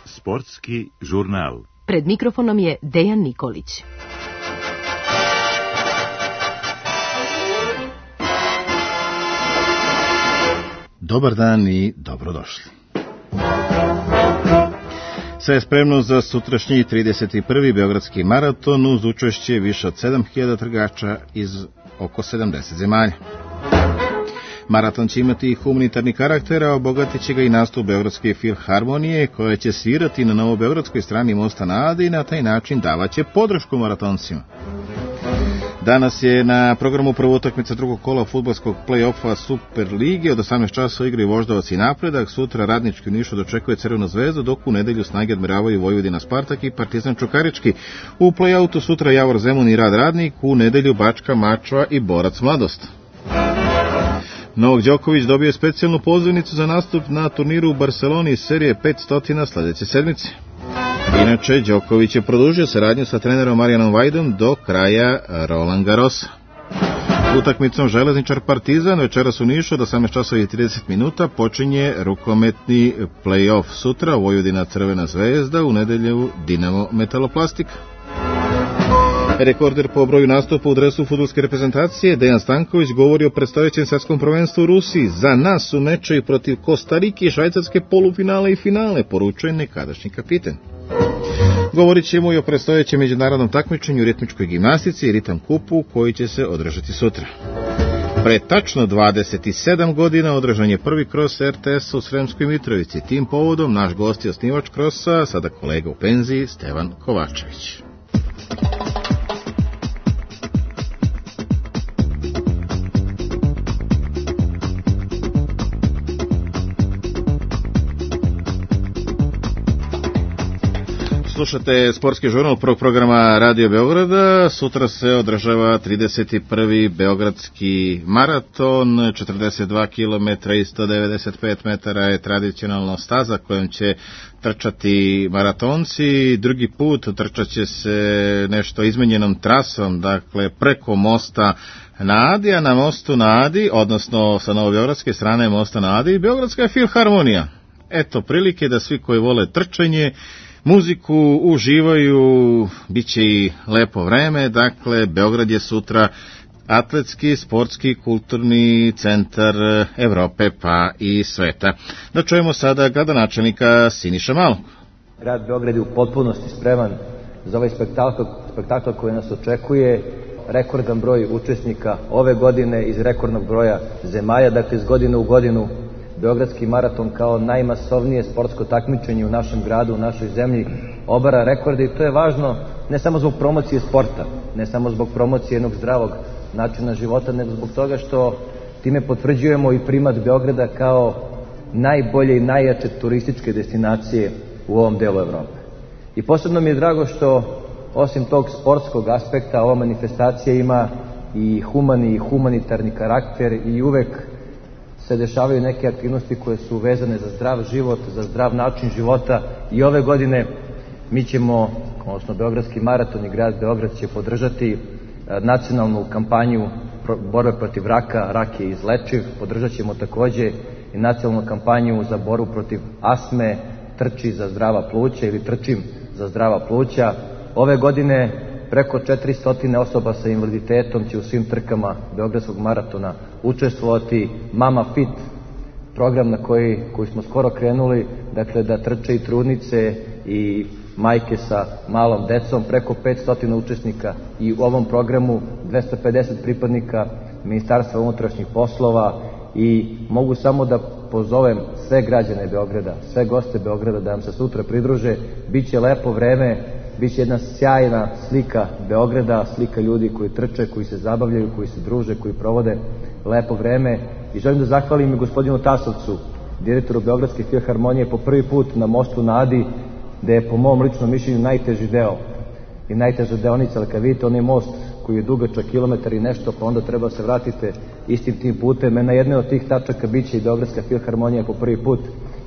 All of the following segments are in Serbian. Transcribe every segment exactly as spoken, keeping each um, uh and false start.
Sportski žurnal. Pred mikrofonom je Dejan Nikolić. Dobar dan i dobrodošli. Sve je spremno za sutrašnji trideset prvi Beogradski maraton uz učešće više od sedam hiljada trgača iz oko sedamdeset zemalja. Maraton će imati humanitarni karakter, a obogatit će ga i nastup Beogradske filharmonije, koja će svirati na novobeogradskoj strani mosta na Adi i na taj način davaće podršku maratoncima. Danas je na programu prva utakmica drugog kola fudbalskog play-offa Super lige. Od osamnaest časova igraju Voždovac i Napredak. Sutra Radnički u Nišu dočekuje Crvenu zvezdu, dok u nedelju snage odmeravaju Vojvodina Spartak i Partizan Čukarički. U play-outu sutra Javor Zemun i Rad Radnik, u nedelju Bačka Mačva i Borac Mladost. Novak Đoković dobio je specijalnu pozivnicu za nastup na turniru u Barceloni iz serije petsto sljedeće sedmice. Inače, Đoković je produžio saradnju sa trenerom Marijanom Vajdom do kraja Roland Garrosa. Utakmicom Železničar Partizan večeras u Nišu od osamnaest časova i trideset minuta počinje rukometni play-off. Sutra Vojvodina Crvena zvezda, u nedelju Dinamo Metaloplastika. Rekorder po broju nastupa u dresu fudbalske reprezentacije Dejan Stanković govori o predstojećem svetskom prvenstvu u Rusiji. Za nas su mečevi protiv Kostarike i Švajcarske polufinale i finale, poručuje nekadašnji kapiten. Govorit ćemo i o predstojećem međunarodnom takmičenju u ritmičkoj gimnastici i ritam kupu koji će se održati sutra. Pre tačno dvadeset sedam godina održan je prvi kros er te es u Sremskoj Mitrovici. Tim povodom naš gost je osnivač krosa, sada kolega u penziji, Stevan Kovačević. Slušate sportski žurnal prvog programa Radio Beograda. Sutra se održava trideset prvi Beogradski maraton. četrdeset dva kilometra i sto devedeset pet metara je tradicionalna staza kojom će trčati maratonci. Drugi put trčat će se nešto izmenjenom trasom, dakle preko mosta na Adi, a na mostu na Adi, odnosno sa novobeogradske strane mosta na Adi, Beogradska filharmonija. Eto prilike da svi koji vole trčanje, muziku uživaju, bit će i lepo vreme. Dakle, Beograd je sutra atletski, sportski, kulturni centar Evrope pa i sveta. Da čujemo sada gradonačelnika Siniša Malog. Grad Beograd je u potpunosti spreman za ovaj spektakl, spektakl koji nas očekuje. Rekordan broj učesnika ove godine iz rekordnog broja zemalja, dakle iz godine u godinu Beogradski maraton kao najmasovnije sportsko takmičenje u našem gradu, u našoj zemlji obara rekorde i to je važno ne samo zbog promocije sporta, ne samo zbog promocije jednog zdravog načina života, nego zbog toga što time potvrđujemo i primat Beograda kao najbolje i najjače turističke destinacije u ovom delu Evrope. I posebno mi je drago što osim tog sportskog aspekta ova manifestacija ima i humani i humanitarni karakter i uvek se dešavaju neke aktivnosti koje su vezane za zdrav život, za zdrav način života i ove godine mi ćemo, odnosno Beogradski maraton i grad Beograd će podržati nacionalnu kampanju borbe protiv raka, rak je izlečiv, podržat ćemo takođe i nacionalnu kampanju za borbu protiv astme, trči za zdrava pluća ili trčim za zdrava pluća. Ove godine preko četiristo osoba sa invaliditetom će u svim trkama Beogradskog maratona učestvovati. Mama Fit, program na koji, koji smo skoro krenuli, dakle da trče i trudnice i majke sa malom decom, preko petsto učesnika i u ovom programu dvesta pedeset pripadnika Ministarstva unutrašnjih poslova i mogu samo da pozovem sve građane Beograda, sve goste Beograda da nam se sutra pridruže. Biće lepo vreme, biće jedna sjajna slika Beograda, slika ljudi koji trče, koji se zabavljaju, koji se druže, koji provode lepo vreme. I želim da zahvalim i gospodinu Tasovcu, direktoru Beogradske filharmonije, po prvi put na mostu na Adi, gde je po mom ličnom mišljenju najteži deo i najteža deonica, ali kad vidite onaj most koji je dugačak kilometar i nešto, pa onda treba se vratite istim tim putem. Na jednoj od tih tačaka biće i Beogradska filharmonija po prvi put.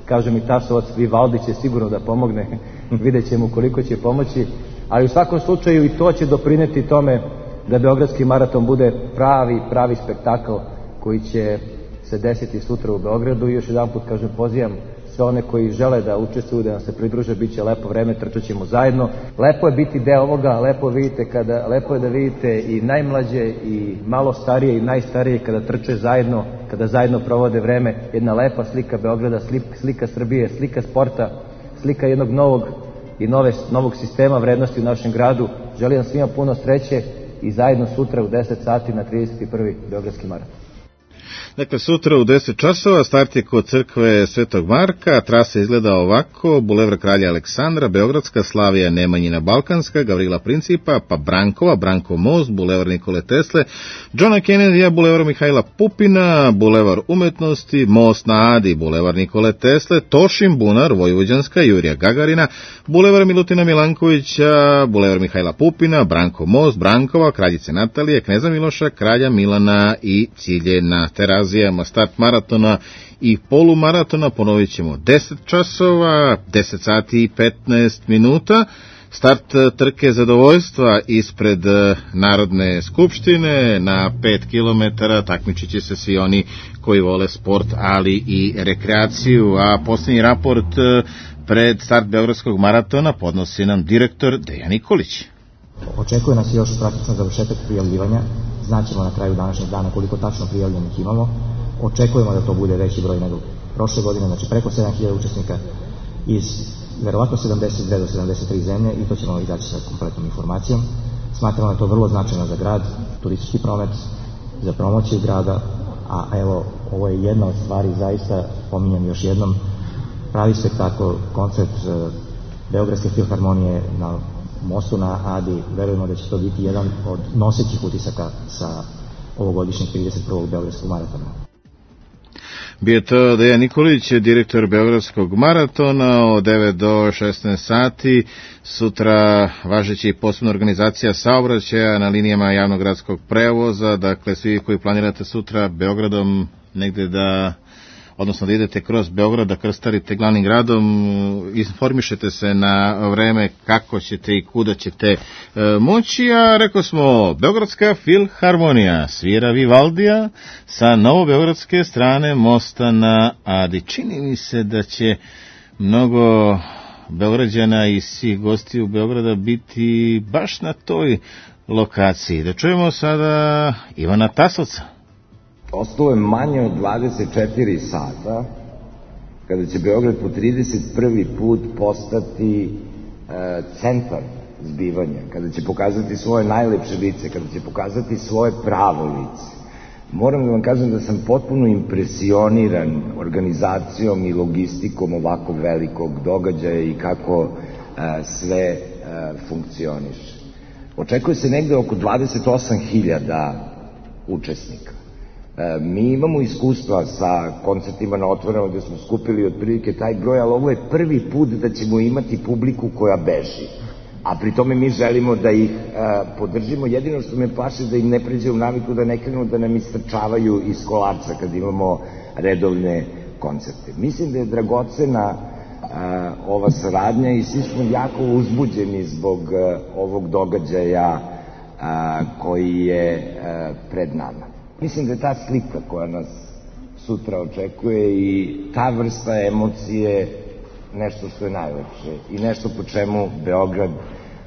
Kaže mi Tasovac, Vivaldi će sigurno da pomogne, vidjet ćemo koliko će pomoći, ali u svakom slučaju i to će doprineti tome da Beogradski maraton bude pravi, pravi spektakl koji će se desiti sutra u Beogradu i još jedan put kažem pozivam sve one koji žele da učestvuju, da nam se pridruže, bit će lepo vreme, trčat ćemo zajedno. Lepo je biti deo ovoga, lepo, vidite kada, lepo je da vidite i najmlađe i malo starije i najstarije kada trče zajedno, kada zajedno provode vreme. Jedna lepa slika Beograda, slika, slika Srbije, slika sporta, slika jednog novog i nove, novog sistema vrednosti u našem gradu. Želim vam svima puno sreće i zajedno sutra u deset sati na trideset prvi Beogradski maraton. Dakle, sutra u deset časova start je kod crkve Svetog Marka, trasa izgleda ovako: Bulevar Kralja Aleksandra, Beogradska, Slavija Nemanjina Balkanska, Gavrila Principa, pa Brankova, Brankov most, Bulevar Nikole Tesle, Johna Kennedya, Bulevar Mihajla Pupina, Bulevar Umetnosti, most na Adi, Bulevar Nikole Tesle, Tošin bunar, Vojvođanska, Jurija Gagarina, Bulevar Milutina Milankovića, Bulevar Mihajla Pupina, Brankov most, Brankova, Kraljice Natalije, Kneza Miloša, Kralja Milana i cilje na Terazijama. Start maratona i polumaratona ponovit ćemo deset časova, deset sati i petnaest minuta. Start trke zadovoljstva ispred Narodne skupštine na pet kilometara. Takmičit će se svi oni koji vole sport, ali i rekreaciju. A posljednji raport pred start Beogradskog maratona podnosi nam direktor Dejan Nikolić. Očekuje nas još praktično završetak prijavljivanja. Znaćemo na kraju današnjeg dana koliko tačno prijavljenih imamo. Očekujemo da to bude veći broj nego prošle godine, znači preko sedam hiljada učesnika iz verovatno sedamdeset dve do sedamdeset tri zemlje i to ćemo izaći sa kompletnom informacijom. Smatramo da je to vrlo značajno za grad, turistički promet, za promociju grada, a evo, ovo je jedna od stvari, zaista pominjem još jednom, pravi spektakl, koncert Beogradske filharmonije na mostu na Adi. Verujemo da će to biti jedan od nosećih utisaka sa ovogodišnjeg trideset prvog Beogradskog maratona. Bio je to Dejan Nikolić, direktor Beogradskog maratona, od devet do šesnaest sati. Sutra važeći posebna organizacija saobraćaja na linijama javnog gradskog prevoza. Dakle, svi koji planirate sutra Beogradom negde da, odnosno da idete kroz Beograd, da krstarite glavnim gradom, informišete se na vreme kako ćete i kuda ćete e, moći, a rekao smo, Beogradska filharmonija svira Vivaldija sa novobeogradske strane mosta na Adi. Čini mi se da će mnogo Beograđana i svih gostiju Beograda biti baš na toj lokaciji. Da čujemo sada Ivana Tasovca. Ostalo je manje od dvadeset četiri sata kada će Beograd po trideset prvi put postati e, centar zbivanja, kada će pokazati svoje najlepše lice, kada će pokazati svoje pravo lice. Moram da vam kažem da sam potpuno impresioniran organizacijom i logistikom ovako velikog događaja i kako e, sve e, funkcioniše. Očekuje se negde oko dvadeset osam hiljada učesnika. E, mi imamo iskustva sa koncertima na otvorenom gde smo skupili otprilike taj broj, ali ovo je prvi put da ćemo imati publiku koja beži. A pri tome mi želimo da ih e, podržimo. Jedino što me plaši da im ne pređe u naviku da ne krenu da nam istrčavaju iz kolarca kad imamo redovne koncerte. Mislim da je dragocena e, ova saradnja i svi smo jako uzbuđeni zbog e, ovog događaja e, koji je e, pred nama. Mislim da je ta slika koja nas sutra očekuje i ta vrsta emocije nešto što je najlepše i nešto po čemu Beograd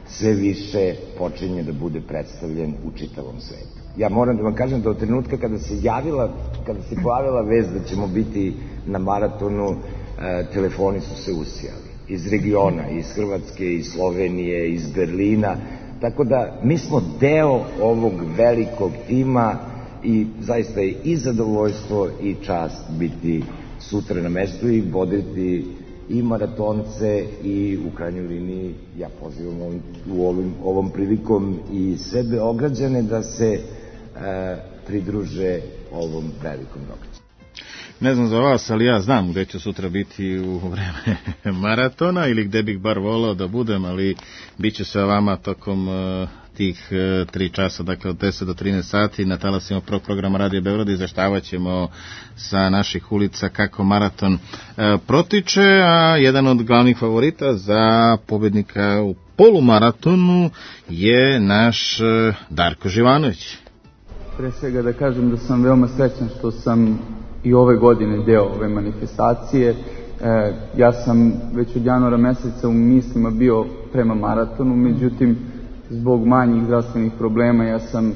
sve više počinje da bude predstavljen u čitavom svetu. Ja moram da vam kažem da od trenutka kada se javila, kada se pojavila vest da ćemo biti na maratonu, e, telefoni su se usijali. Iz regiona, iz Hrvatske, iz Slovenije, iz Berlina. Tako da mi smo deo ovog velikog tima i zaista je i zadovoljstvo i čast biti sutra na mestu i voditi i maratonce i u krajnjoj liniji ja pozivam ovim, u ovim, ovom prilikom i sve Beograđane da se e, pridruže ovom velikom događaju. Ne znam za vas, ali ja znam gde ću sutra biti u vreme maratona ili gde bih bar volao da budem, ali bit ću sa vama tokom uh, tih uh, tri časa, dakle od deset do trinaest sati na talasima prvog programa Radio Beograda. Izveštavat ćemo sa naših ulica kako maraton uh, protiče, a jedan od glavnih favorita za pobednika u polumaratonu je naš uh, Darko Živanović. Pre svega da kažem da sam veoma srećan što sam i ove godine deo ove manifestacije. E, ja sam već od januara meseca u mislima bio prema maratonu, međutim, zbog manjih zdravstvenih problema ja sam e,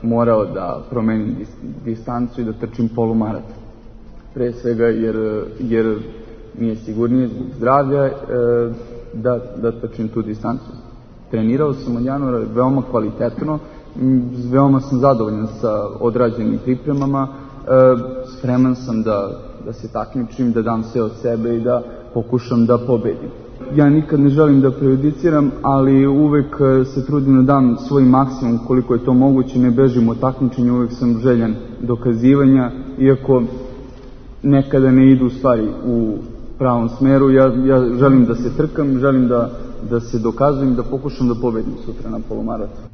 morao da promenim dis, distancu i da trčim polumaraton. Pre svega jer, jer mi je sigurnije zbog zdravlja e, da, da trčim tu distancu. Trenirao sam od januara veoma kvalitetno, veoma sam zadovoljan sa odrađenim pripremama, e, spreman sam da, da se takmičim, da dam sve od sebe i da pokušam da pobedim. Ja nikad ne želim da prejudiciram, ali uvek se trudim da dam svoj maksimum koliko je to moguće, ne bežim od takmičenja, uvek sam željan dokazivanja, iako nekada ne idu stvari u pravom smeru, ja, ja želim da se trkam, želim da, da se dokazujem, da pokušam da pobedim sutra na polumaratonu.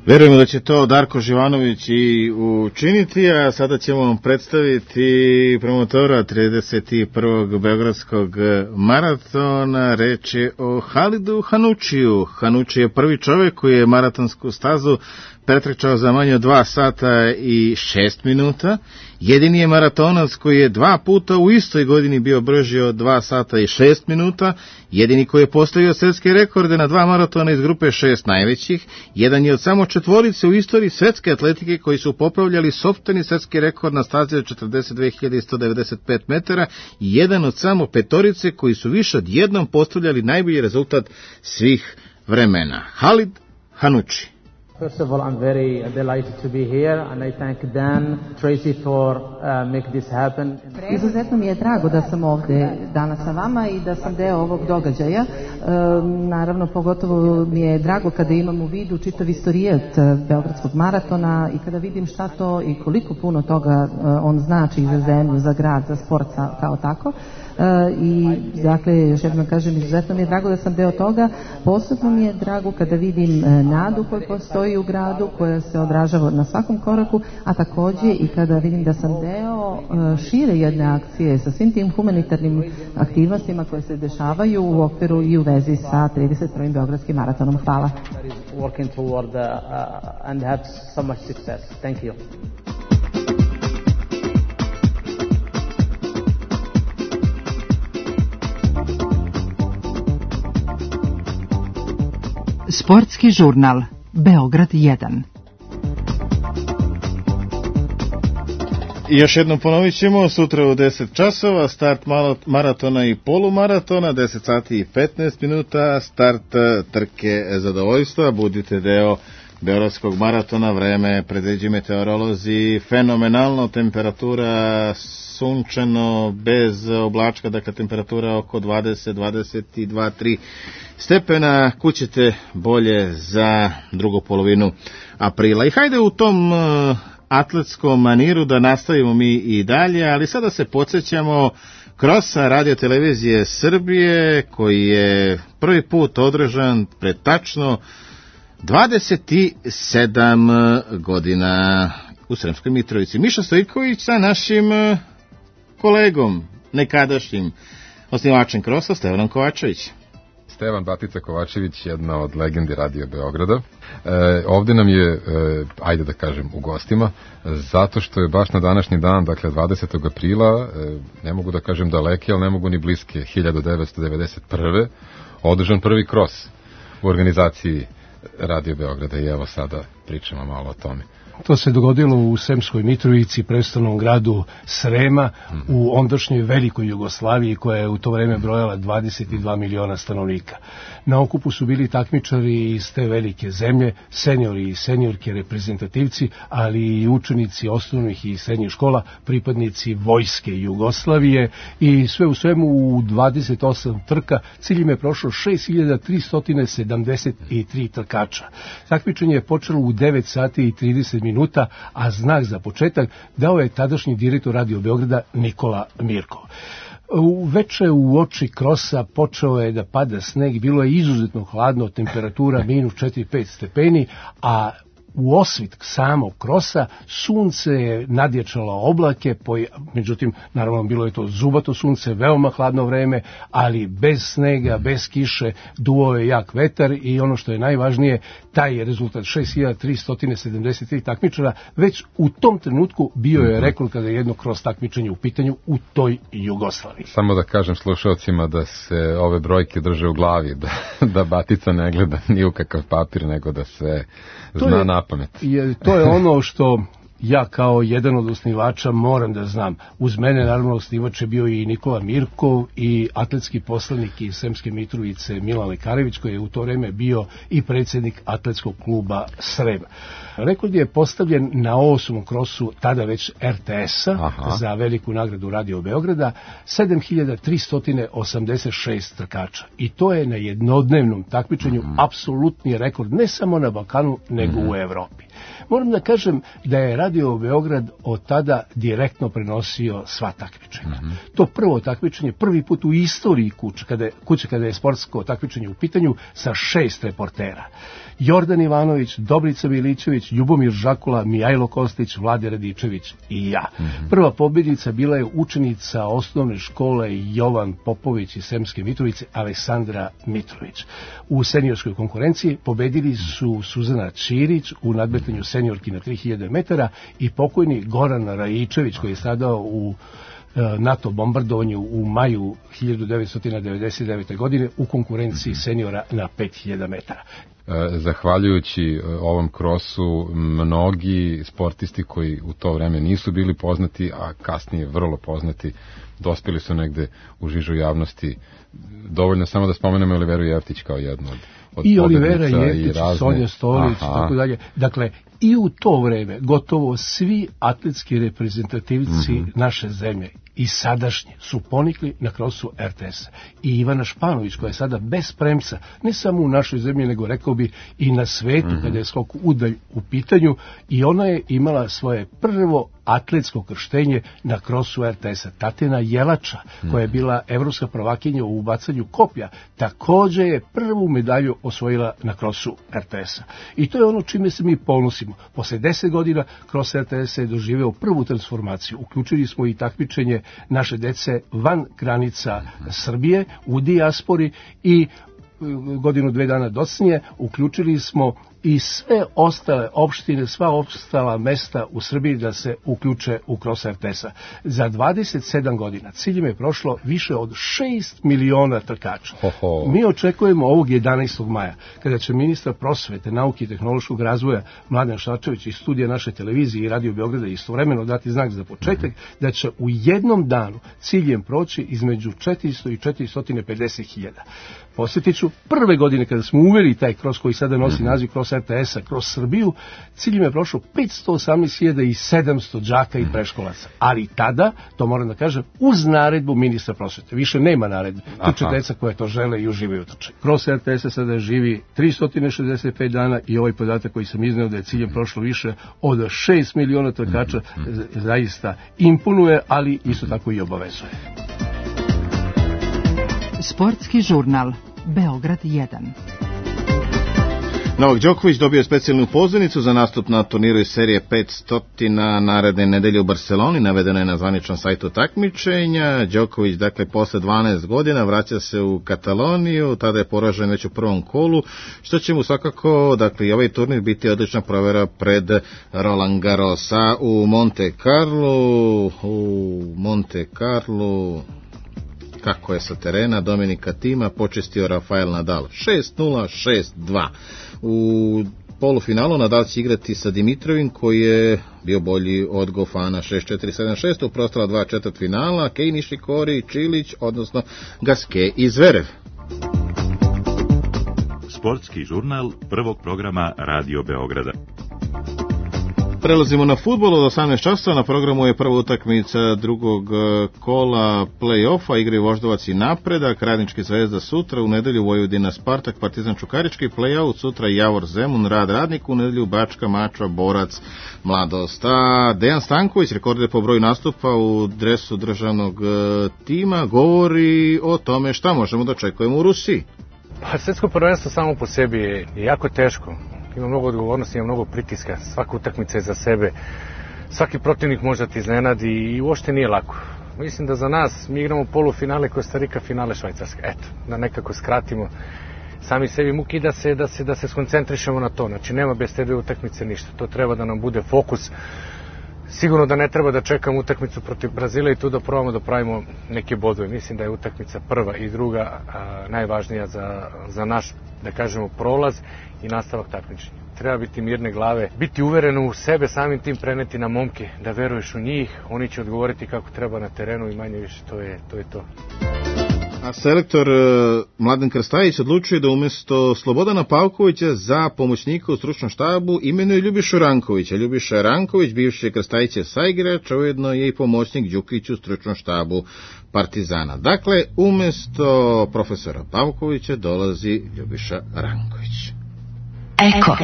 Verujemo da će to Darko Živanović i učiniti, a sada ćemo vam predstaviti promotora trideset prvog Beogradskog maratona. Reč je o Halidu Hanučiju. Hanuči je prvi čovjek koji je maratonsku stazu pretrčao za manje od dva sata i šest minuta. Jedini je maratonac koji je dva puta u istoj godini bio brži od dva sata i šest minuta. Jedini koji je postavio svetske rekorde na dva maratona iz grupe šest najvećih. Jedan je od samo četvorice u istoriji svetske atletike koji su popravljali sopstveni svetski rekord na stazi od četrdeset dve hiljade sto devedeset pet metara i jedan od samo petorice koji su više od jednom postavljali najbolji rezultat svih vremena. Halid Hanuči. First of all, I'm very delighted to be here, and I thank Dan, Tracy for uh, make this happen. Izuzetno mi je drago da sam ovde danas sa vama i da sam deo ovog događaja. E, naravno, pogotovo mi je drago kada imam u vidu čitav istorijat Beogradskog maratona i kada vidim šta to i koliko puno toga on znači za zemlju, za grad, za sport kao tako. Uh, i dakle, još jednom kažem, izuzetno mi je drago da sam deo toga. Posebno mi je drago kada vidim uh, nadu koja postoji u gradu, koja se odražava na svakom koraku, a takođe i kada vidim da sam deo uh, šire jedne akcije sa svim tim humanitarnim aktivnostima koje se dešavaju u okviru i u vezi sa trideset prvim Beogradskim maratonom. Hvala. Working toward uh, uh, and have so much success. Thank you. Sportski žurnal Beograd jedan. I još jednom ponovit ćemo, sutra u deset časova, start maratona i polumaratona, deset sati i petnaest minuta, start trke zadovoljstva, budite deo Beogradskog maratona, vreme predviđaju meteorolozi, fenomenalno, temperatura sunčano, bez oblačka, dakle temperatura oko dvadeset, dvadeset dva, tri stepena, kućete bolje za drugu polovinu aprila. I hajde u tom uh, atletskom maniru da nastavimo mi i dalje, ali sada se podsjećamo krosa Radio televizije Srbije, koji je prvi put održan pred tačno dvadeset sedam godina u Sremskoj Mitrovici. Miša Stojković sa našim kolegom, nekadašnjim osnivačem krosa, Stevanom Kovačević. Stevan Batica Kovačević, jedna od legendi Radio Beograda. E, ovde nam je, e, ajde da kažem, u gostima, zato što je baš na današnji dan, dakle dvadesetog aprila, e, ne mogu da kažem daleke, ali ne mogu ni bliske, hiljadu devetsto devedeset prve. održan prvi kros u organizaciji Radio Beograda i evo sada pričamo malo o tome. To se dogodilo u Sremskoj Mitrovici, prestolnom gradu Srema, u ondašnjoj velikoj Jugoslaviji koja je u to vreme brojala dvadeset dva miliona stanovnika. Na okupu su bili takmičari iz te velike zemlje, seniori i seniorke reprezentativci, ali i učenici osnovnih i srednjih škola, pripadnici vojske Jugoslavije i sve u svemu u dvadeset osam trka ciljem je prošlo šest hiljada tristo sedamdeset tri trkača. Takmičenje je počelo u devet sati i trideset minuta, a znak za početak dao je tadašnji direktor Radio Beograda Nikola Mirko. U veče u oči krosa počeo je da pada sneg, bilo je izuzetno hladno, temperatura minus četiri do pet stepeni, a u osvit samog krosa sunce je nadječalo oblake, međutim, naravno, bilo je to zubato sunce, veoma hladno vreme, ali bez snega, bez kiše, duo je jak vetar i ono što je najvažnije, taj je rezultat šest hiljada tristo sedamdeset tri takmičara, već u tom trenutku bio je rekord kada je jedno cross takmičenje u pitanju u toj Jugoslaviji. Samo da kažem slušalcima da se ove brojke drže u glavi, da, da batica ne gleda ni u kakav papir, nego da se zna je, na pamet. Je, to je ono što ja kao jedan od osnivača moram da znam. Uz mene naravno osnivač je bio i Nikola Mirkov i atletski poslanik iz Sremske Mitrovice Milan Lekarević, koji je u to vreme bio i predsjednik atletskog kluba Srem. Rekord je postavljen na osmom krosu tada već er te es-a za veliku nagradu Radio Beograda, sedam hiljada tristo osamdeset šest trkača. I to je na jednodnevnom takmičenju mm. apsolutni rekord ne samo na Balkanu, nego mm. u Evropi. Moram da kažem da je Radio Beograd od tada direktno prenosio sva takmičenja. Mm-hmm. To prvo takmičenje, prvi put u istoriji kuće kada, je, kuće kada je sportsko takmičenje u pitanju sa šest reportera. Jordan Ivanović, Dobrica Milićević, Ljubomir Žakula, Mijajlo Kostić, Vlade Radičević i ja. Mm-hmm. Prva pobjednica bila je učenica osnovne škole Jovan Popović iz Sremske Mitrovice, Aleksandra Mitrović. U seniorskoj konkurenciji pobedili su Suzana Ćirić u nadmetanju seniorki na tri hiljade metara i pokojni Goran Rajičević, koji je stradao u NATO bombardovanju u maju hiljadu devetsto devedeset devete. godine u konkurenciji seniora na pet hiljada metara. Zahvaljujući ovom krosu, mnogi sportisti koji u to vreme nisu bili poznati, a kasnije vrlo poznati, dospjeli su negde u žižu javnosti. Dovoljno samo da spomenemo Oliveru Jeftić kao jednu od, od i Olivera Jeftić, i Sonja Stolić, tako dalje. Dakle, i u to vreme gotovo svi atletski reprezentativci mm-hmm. naše zemlje i sadašnji su ponikli na krosu er te es. I Ivana Španović, koja je sada bez premca, ne samo u našoj zemlji, nego rekao bi i na svetu, mm-hmm. kada je skok udalj u pitanju, i ona je imala svoje prvo atletsko krštenje na krosu er te es-a. Tatjana Jelača, mm-hmm. koja je bila evropska prvakinja u bacanju koplja, također je prvu medalju osvojila na krosu er te es-a. I to je ono čime se mi ponosimo. Posle deset godina kros er te es je doživeo prvu transformaciju. Uključili smo i takmičenje naše dece van granica Srbije, u dijaspori, i godinu dve dana docnije uključili smo i sve ostale opštine, sva ostala mesta u Srbiji da se uključe u kros er te es-a. Za dvadeset sedam godina ciljem je prošlo više od šest miliona trkača. Oho. Mi očekujemo ovog jedanaestog maja, kada će ministar prosvete, nauke i tehnološkog razvoja Mladen Šarčević iz studija naše televizije i Radio Beograda istovremeno dati znak za početak, da će u jednom danu ciljem proći između četiristo i četiristo pedeset hiljada. Posjetit ću, prve godine kada smo uveli taj kros koji sada nosi naziv kros er te es-a, kroz Srbiju, ciljem je prošlo petsto osamnaest hiljada sedamsto đaka i preškolaca. Ali tada, to moram da kažem, uz naredbu ministra prosvete. Više nema naredbe. Tuče deca koje to žele i uživaju trče. Kros er te es-a sada živi tristo šezdeset pet dana i ovaj podatak koji sam izneo da je ciljem prošlo više od šest miliona trkača zaista imponuje, ali isto tako i obavezuje. Sportski žurnal Beograd jedan. Novak Đoković dobio specijalnu pozivnicu za nastup na turniru iz serije petsto naredne nedelje u Barceloni, navedeno je na zvaničnom sajtu takmičenja. Đoković, dakle, posle dvanaest godina vraća se u Kataloniju, tada je poražen već u prvom kolu, što će mu svakako, dakle, i ovaj turnir biti odlična provera pred Roland Garrosa u Monte Carlo, u Monte Carlo... Kako je sa terena Dominika Tima počestio Rafael Nadal šest nula, šest dva. U polufinalu Nadal će igrati sa Dimitrovim, koji je bio bolji od Gofana šest četiri sedam šest, u preostala dva četvrtfinala Kei Nishikori, Čilić, odnosno Gasquet i Zverev. Sportski žurnal prvog programa Radio Beograda. Prelazimo na fudbal. Od osamnaest časova na programu je prva utakmica drugog kola play-offa, igre Voždovac i Napredak, Radnički Zvezda sutra, u nedelju Vojvodina Spartak, Partizan Čukarički, play-out sutra Javor Zemun, Rad Radnik, u nedelju Bačka Mačva Borac Mladost. A Dejan Stanković, rekorder po broju nastupa u dresu državnog tima, govori o tome šta možemo da očekujemo u Rusiji. Pa svetsko prvenstvo samo po sebi je jako teško. Ima mnogo odgovornosti, ima mnogo pritiska, svaka utakmica je za sebe, svaki protivnik može da ti iznenadi i uopšte nije lako. Mislim da za nas, mi igramo polufinale Kostarika, finale Švajcarska. Eto, da nekako skratimo sami sebi muki da se, da se, da se skoncentrišemo na to. Znači, nema bez te dve utakmice ništa. To treba da nam bude fokus. Sigurno da ne treba da čekamo utakmicu protiv Brazila i tu da probamo da pravimo neke bodove. Mislim da je utakmica prva i druga a, najvažnija za, za naš, da kažemo, prolaz i nastavak takmičenja. Treba biti mirne glave, biti uveren u sebe, samim tim preneti na momke, da veruješ u njih, oni će odgovoriti kako treba na terenu i manje više, to je to. Je to. A selektor Mladen Krstajić odlučuje da umjesto Slobodana Pavkovića za pomoćnika u stručnom štabu imenuje Ljubišu Rankovića. Ljubiša Ranković, bivši Krstajićev saigrač, ujedno je i pomoćnik Đukić u stručnom štabu Partizana. Dakle, umjesto profesora Pavkovića dolazi Ljubiša Ranković. Eko.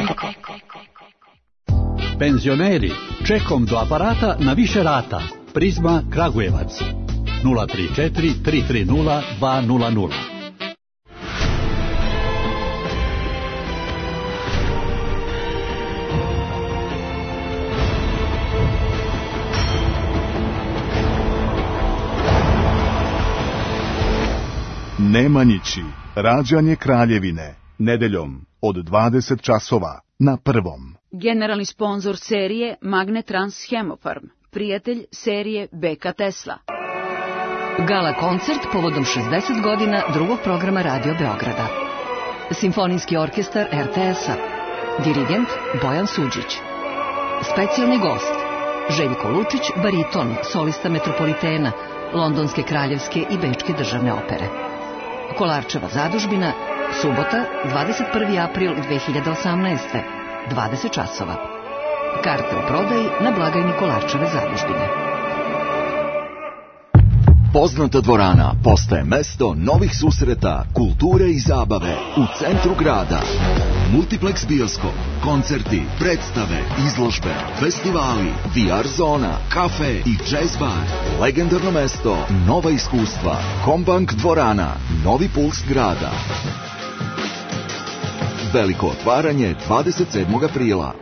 Penzioneri, čekom do aparata na više rata. Prizma Kragujevac. nula tri četiri tri tri nula dva nula nula. Nemanjići, rađanje Kraljevine, nedeljom od dvadeset časova na Prvom. Generalni sponzor serije Magnetrans Hemofarm, prijatelj serije B K Tesla. Gala koncert povodom šezdeset godina drugog programa Radio Beograda. Simfonijski orkestar R T S-a. Dirigent Bojan Suđić. Specijalni gost Željko Lučić, bariton, solista Metropolitena, Londonske kraljevske i Bečke državne opere. Kolarčeva zadužbina, subota, dvadeset prvi april dve hiljade osamnaeste. dvadeset časova. Karte u prodaji na blagajni Kolarčeve zadužbine. Poznata dvorana postaje mesto novih susreta, kulture i zabave u centru grada. Multiplex bioskop, koncerti, predstave, izložbe, festivali, V R zona, kafe i jazz bar. Legendarno mesto, nova iskustva. Kombank dvorana, novi puls grada. Veliko otvaranje dvadeset sedmog aprila.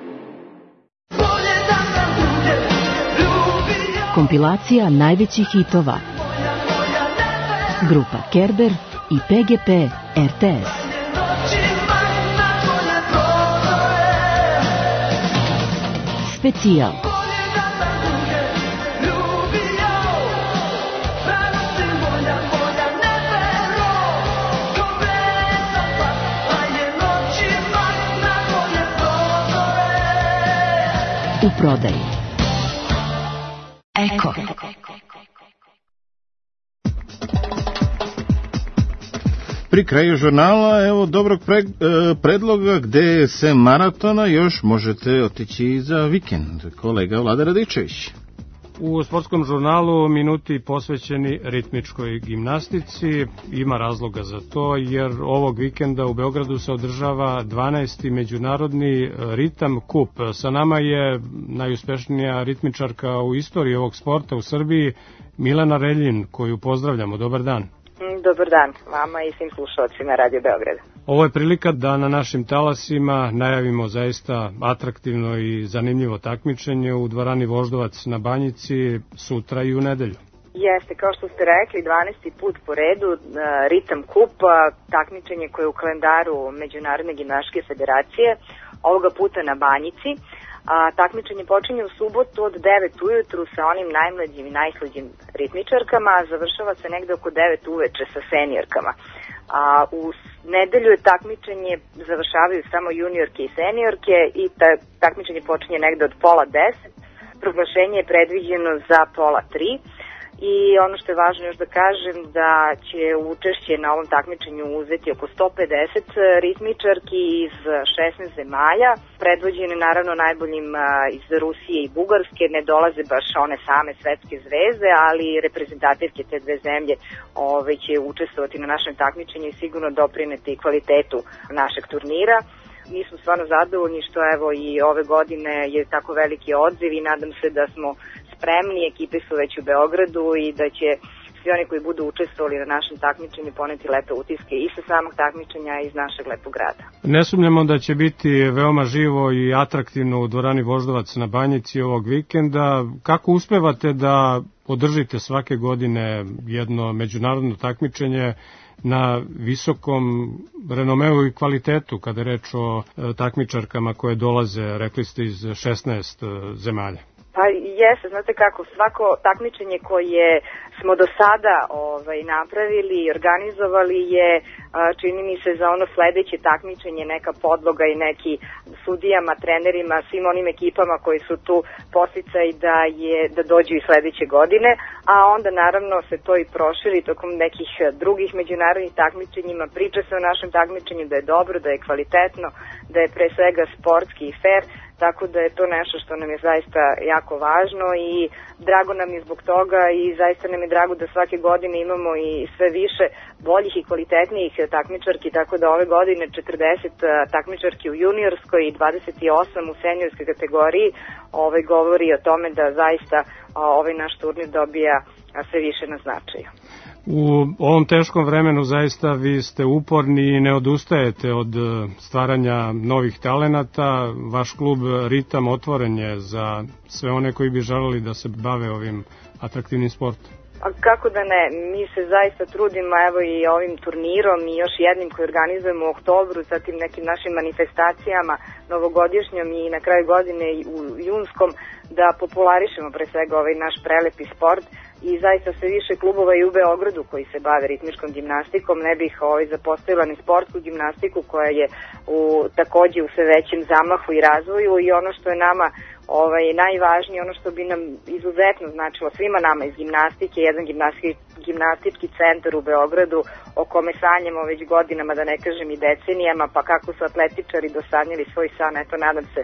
Kompilacija najvećih hitova. Grupa Kerber i P G P R T S. Specijal. U prodaji. Eko. Pri kraju žurnala, evo dobrog pre, e, predloga gde se maratona još možete otići za vikend. Kolega Vlada Radičević. U sportskom žurnalu minuti posvećeni ritmičkoj gimnastici. Ima razloga za to jer ovog vikenda u Beogradu se održava dvanaesti međunarodni ritam kup. Sa nama je najuspešnija ritmičarka u istoriji ovog sporta u Srbiji, Milena Reljin, koju pozdravljamo. Dobar dan. Dobar dan vama i svim slušalcima Radio Beograda. Ovo je prilika da na našim talasima najavimo zaista atraktivno i zanimljivo takmičenje u dvorani Voždovac na Banjici sutra i u nedelju. Jeste, kao što ste rekli, dvanaesti put po redu ritam kup, takmičenje koje je u kalendaru Međunarodne gimnastičke federacije, ovoga puta na Banjici. A, takmičenje počinje u subotu od devet ujutru sa onim najmlađim i najslađim ritmičarkama, a završava se negde oko devet uveče sa seniorkama. A, u nedelju je takmičenje završavaju samo juniorke i seniorke i ta, takmičenje počinje negde od pola deset. Proglašenje je predviđeno za pola tri. I ono što je važno još da kažem da će učešće na ovom takmičenju uzeti oko sto pedeset ritmičarki iz šesnaest zemalja, predvođene naravno najboljim iz Rusije i Bugarske, ne dolaze baš one same svetske zvezde, ali reprezentativke te dve zemlje ove, će učestvovati na našem takmičenju i sigurno doprineti kvalitetu našeg turnira. Mi smo stvarno zadovoljni što evo i ove godine je tako veliki odziv i nadam se da smo spremni, ekipe su već u Beogradu i da će svi oni koji budu učestvovali na našem takmičenju poneti lepe utiske i sa samog takmičenja i iz našeg lepog grada. Ne sumnjamo da će biti veoma živo i atraktivno u dvorani Voždovac na Banjici ovog vikenda. Kako uspevate da održite svake godine jedno međunarodno takmičenje na visokom renomeu i kvalitetu kada je reč o takmičarkama koje dolaze, rekli ste, iz šesnaest zemalja? Pa jeste, znate kako, svako takmičenje koje smo do sada ovaj, napravili i organizovali je, čini mi se, za ono sledeće takmičenje neka podloga i neki sudijama, trenerima, svim onim ekipama koji su tu posticaj da, je, da dođu i sledeće godine, a onda naravno se to i proširi tokom nekih drugih međunarodnih takmičenjima. Priča se o našem takmičenju da je dobro, da je kvalitetno, da je pre svega sportski i fair, tako da je to nešto što nam je zaista jako važno i drago nam je zbog toga i zaista nam je drago da svake godine imamo i sve više boljih i kvalitetnijih takmičarki, tako da ove godine četrdeset takmičarki u juniorskoj i dvadeset osam u seniorskoj kategoriji ovaj, govori o tome da zaista ovaj naš turnir dobija sve više na značaju. U ovom teškom vremenu zaista vi ste uporni i ne odustajete od stvaranja novih talenata. Vaš klub Ritam otvoren je za sve one koji bi želeli da se bave ovim atraktivnim sportom. A kako da ne, mi se zaista trudimo, evo i ovim turnirom i još jednim koji organizujemo u oktobru, zatim nekim našim manifestacijama novogodišnjom i na kraju godine i u junskom, da popularišemo pre svega ovaj naš prelepi sport. I zaista sve više klubova i u Beogradu koji se bave ritmičkom gimnastikom, ne bih ovaj, zapostavila ni sportsku gimnastiku koja je u, takođe u sve većem zamahu i razvoju i ono što je nama ovaj, najvažnije, ono što bi nam izuzetno značilo svima nama iz gimnastike, jedan gimnastički, gimnastički centar u Beogradu o kome sanjamo već godinama, da ne kažem i decenijama, pa kako su atletičari dosanjali svoj san, eto nadam se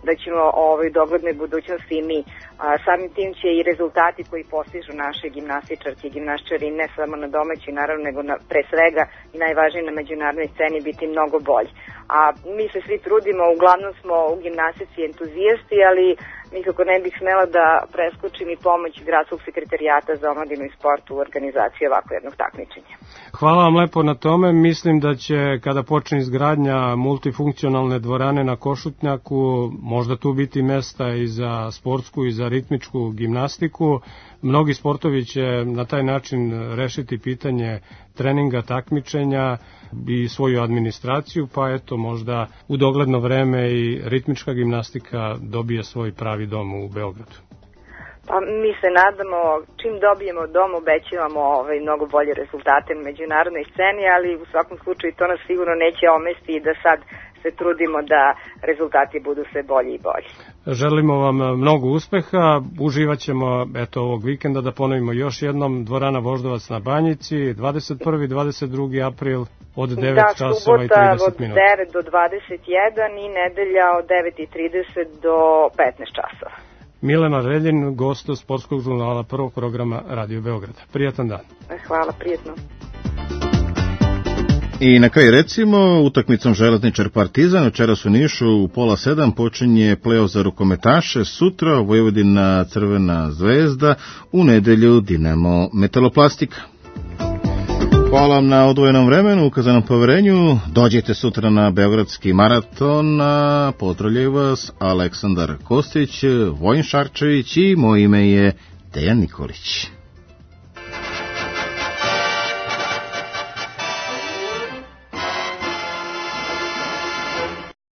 da ćemo ovaj, u doglednoj budućnosti i mi. A, samim tim će i rezultati koji postižu naše gimnastičarke i gimnastičari ne samo na domaćoj, naravno, nego na, pre svega i najvažnije na međunarodnoj sceni biti mnogo bolji. A mi se svi trudimo, uglavnom smo u gimnastici entuzijasti, ali nikako ne bih smela da preskočim i pomoć Gradskog sekretarijata za omladinu i sport u organizaciji ovako jednog takmičenja. Hvala vam lepo na tome. Mislim da će kada počne izgradnja multifunkcionalne dvorane na Košutnjaku možda tu biti mesta i za sportsku i za ritmičku gimnastiku. Mnogi sportovi će na taj način rešiti pitanje treninga, takmičenja i svoju administraciju, pa eto možda u dogledno vreme i ritmička gimnastika dobije svoj pravi dom u Beogradu. Pa mi se nadamo, čim dobijemo dom, obećavamo ovaj, mnogo bolje rezultate na međunarodnoj sceni, ali u svakom slučaju to nas sigurno neće omesti i da sad se trudimo da rezultati budu sve bolji i bolji. Želimo vam mnogo uspeha, uživat ćemo eto ovog vikenda, da ponovimo još jednom, dvorana Voždovac na Banjici, dvadeset prvi i dvadeset drugi april od devet časova i trideset minuta. Da, subota od devet do dvadeset jedan i nedelja od devet i trideset do petnaest časova. Milena Reljin, gost sportskog žurnala prvog programa Radio Beograda. Prijatan dan. Hvala, prijetno. I na kraju recimo, utakmicom Železničar Partizan večeras u Nišu u pola sedam počinje play-off za rukometaše, sutra Vojvodina Crvena zvezda, u nedelju Dinamo Metaloplastika. Hvala vam na odvojenom vremenu, ukazanom poverenju. Dođite sutra na Beogradski maraton, a pozdravljaju vas Aleksandar Kostić, Vojin Šarčević i moje ime je Dejan Nikolić.